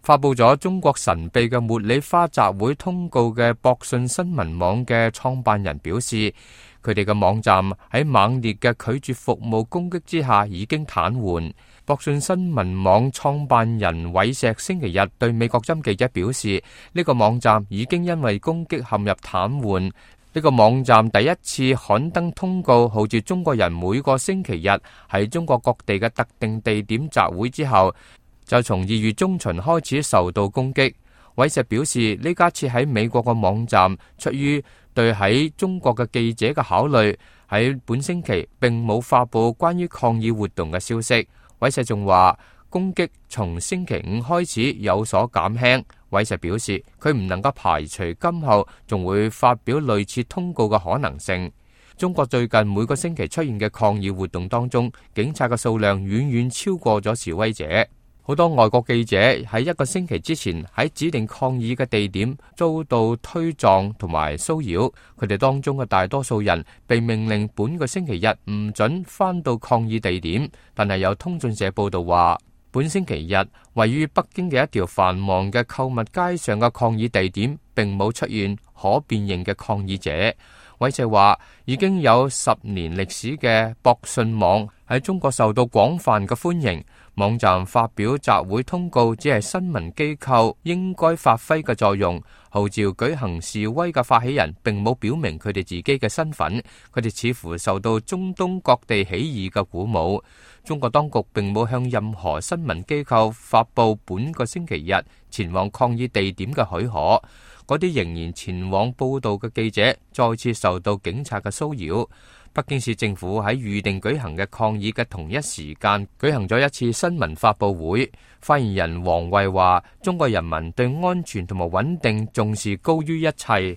發佈咗中國神秘嘅茉莉花集會通告嘅博訊新聞網嘅創辦人表示，佢哋嘅網站喺猛烈嘅拒絕服務攻擊之下已經癱瘓。博訊新聞網創辦人韋石星期日對美國針記者表示，呢個網站已經因為攻擊陷入癱瘓。呢個網站第一次刊登通告，號召中國人每個星期日喺中國各地嘅特定地點集會之後，就從2月中旬開始受到攻擊。韋石表示，呢家設喺美國嘅網站出於對喺中國嘅記者嘅考慮，喺本星期並冇發佈關於抗議活動嘅消息。韋石仲話，攻擊從星期5開始有所減輕。韋石表示，佢唔能夠排除今後仲會發表類似通告嘅可能性。中國最近每個星期出現嘅抗議活動當中，警察嘅數量遠遠超過咗示威者。好多外國記者喺1個星期之前喺指定抗議嘅地點遭到推撞同埋騷擾，佢哋當中嘅大多數人被命令本個星期日唔准返到抗議地點。但係有通訊社報道話，本星期日位於北京嘅一條繁忙嘅購物街上嘅抗議地點並冇出現可辨認嘅抗議者。韋石話，已經有10年歷史嘅博訊網喺中國受到廣泛嘅歡迎。網站發表集會通告只係新聞機構應該發揮嘅作用，號召舉行示威嘅發起人並冇表明佢哋自己嘅身份，佢哋似乎受到中東各地起義嘅鼓舞。中國當局並冇向任何新聞機構發佈本個星期日前往抗議地點嘅許可，嗰啲仍然前往報道嘅記者再次受到警察嘅騷擾。北京市政府喺預定舉行嘅抗議嘅同一時間舉行咗一次新聞發佈會，發言人王衛話，中國人民對安全同埋穩定重視高於一切。